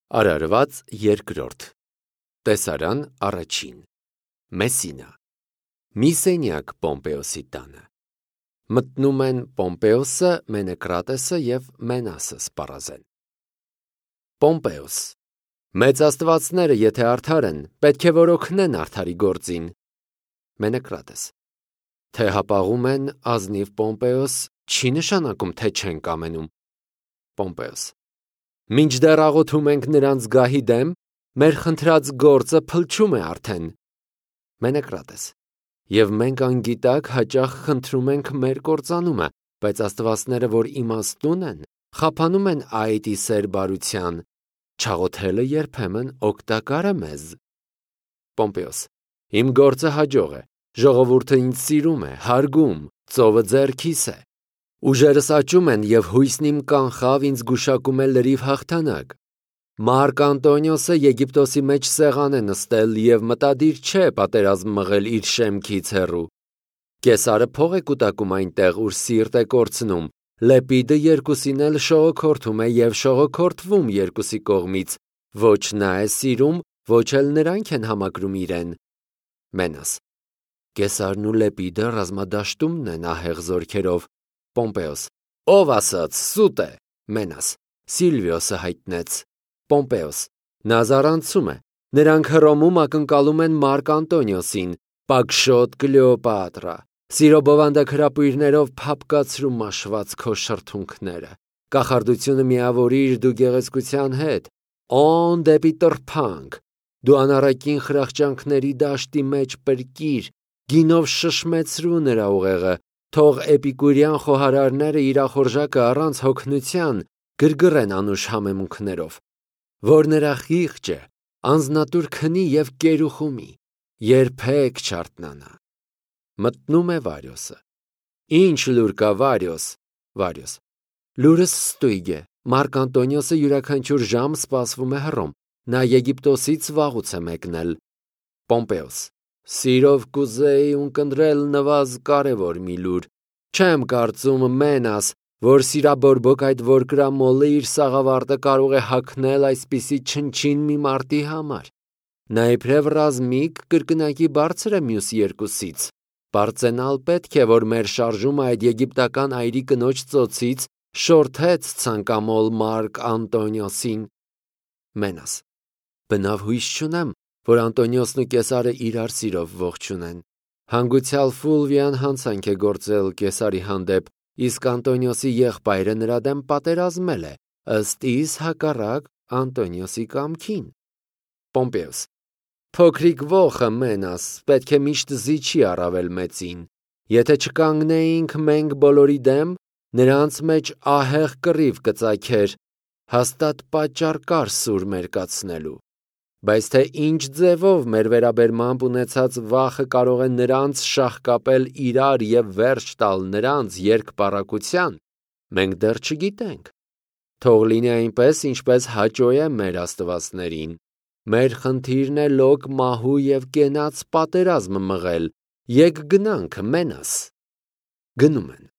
Արարված երկրորդ Տեսարան առաջին Մեսինա Մի սենյակ Պոմպեոսի տանը Մտնում են Պոմպեոսը, Մենեկրատեսը և Մենասը սպառազեն Պոմպեոս Մեծ աստվածները եթե արդար են, պետք է որ օգնեն արդարի գործին Մենեկրատես Թե հապաղում են ազնիվ Պոմպեոս, չի նշանակում, թե չեն կամենում Պոմպեոս Մինչդեռ աղոթում ենք նրանց գահի դեմ, մեր խնդրած գործը փլչում է արդեն Մենեկրատես Եվ մենք անգիտակ հաճախ խնդրում ենք մեր կործանումը, բայց աստվածները, որ իմաստուն են, խափանում են այդ ի սեր բարության, չաղոթելը երբեմն օգտակար է մեզ Պոմպեոս Իմ գործը հաջող է, ժողովուրդը ինձ սիրում է, հարգում, ծովը ձեռքիս է Ուժերս աճում են և հույսն իմ կանխավ ինձ գուշակում է լրիվ հաղթանակ Մարկ Անտոնիոսը Եգիպտոսի մեջ սեղան է նստել և մտադիր չէ պատերազմ մղել իր շեմքից հեռու Կեսարը փող է կուտակում այնտեղ, ուր սիրտ է կորցնում Լեպիդը երկուսին էլ շողոքորթում է և շողոքորթվում երկուսի կողմից Ոչ նա է սիրում, ոչ էլ նրանք են համակրում իրեն Մենաս Կեսարն ու Լեպիդը ռազմադաշտումն են ահեղ զորքերով Պոմպեոս Ով ասաց, սուտ է Մենաս Սիլվիոսը հայտնեց Պոմպեոս Նա զարանցում է Նրանք Հռոմում ակնկալում են Մարկ Անտոնիոսին Պակշոտ Կլեոպատրա Սիրո բովանդակհրապույրներով փափկացրու մաշված քո շրթունքները Կախարդությունը միավորիր դու գեղեցկության հետ Օն դեպի տրփանք Դու անառակին խրախճանքների դաշտի մեջ պրկիր Գինով շշմեցրու նրա ուղեղը Թող էպիկուրյան խոհարարները իրախորժակը առանց հոգնության գրգռեն անուշ համեմունքներով Որ նրա խիղճը անձնատուր քնի և կերուխումի Երբեք չարթնանա Մտնում է Վարյոսը Ինչ լուր կա Վարյոս Լուրս ստույգ է Մարկ Անտոնիոսը յուրաքանչյուր ժամ սպասվում է Հռոմ Նա Եգիպտոսից վաղուց է մեկնել Պոմպեոս Սիրով կուզեի ունկնդրել նվազ կարևոր մի լուր Չեմ կարծում Մենաս, որ սիրաբորբոք այդ որկրամոլը իր սաղավարտը կարող է հագնել այսպիսի չնչին մի մարդի համար Նա իբրև ռազմիկ կրկնակի բարձր է մյուս երկուսից Պարծենալ պետք է, որ մեր շարժումը այդ եգիպտական այրի կնոջ ծոցից շորթեց ցանկամոլ Մարկ Անտոնիոսին Մենաս Բնավ հույս չունեմ, որ Անտոնիոսն ու Կեսարը իրար սիրով ողջունեն Հանգուցյալ Ֆուլվիան հանցանք է գործել Կեսարի հանդեպ, իսկ Անտոնիոսի եղբայրը նրա դեմ պատերազմել է, ըստ իս հակառակ Անտոնիոսի կամքին Պոմպեոս Փոքրիկ ոխը Մենաս, պետք է միշտ զիջի առավել մեծին Եթե չկանգնեինք մենք բոլորի դեմ, նրանց մեջ ահեղ կռիվ կծագեր, հաստատ պատճառ կար սուր մերկացնելու Բայց թե ինչ ձևով մեր վերաբերմամբ ունեցած վախը կարող է նրանց շաղկապել իրար և վերջ տալ նրանց երկպառակության, մենք դեռ չգիտենք Թող լինի այնպես, ինչպես հաճո է մեր աստվածներին Մեր խնդիրն է լոկ մահու և կենաց պատերազմ մղել Եկ գնանք Մենաս Գնում են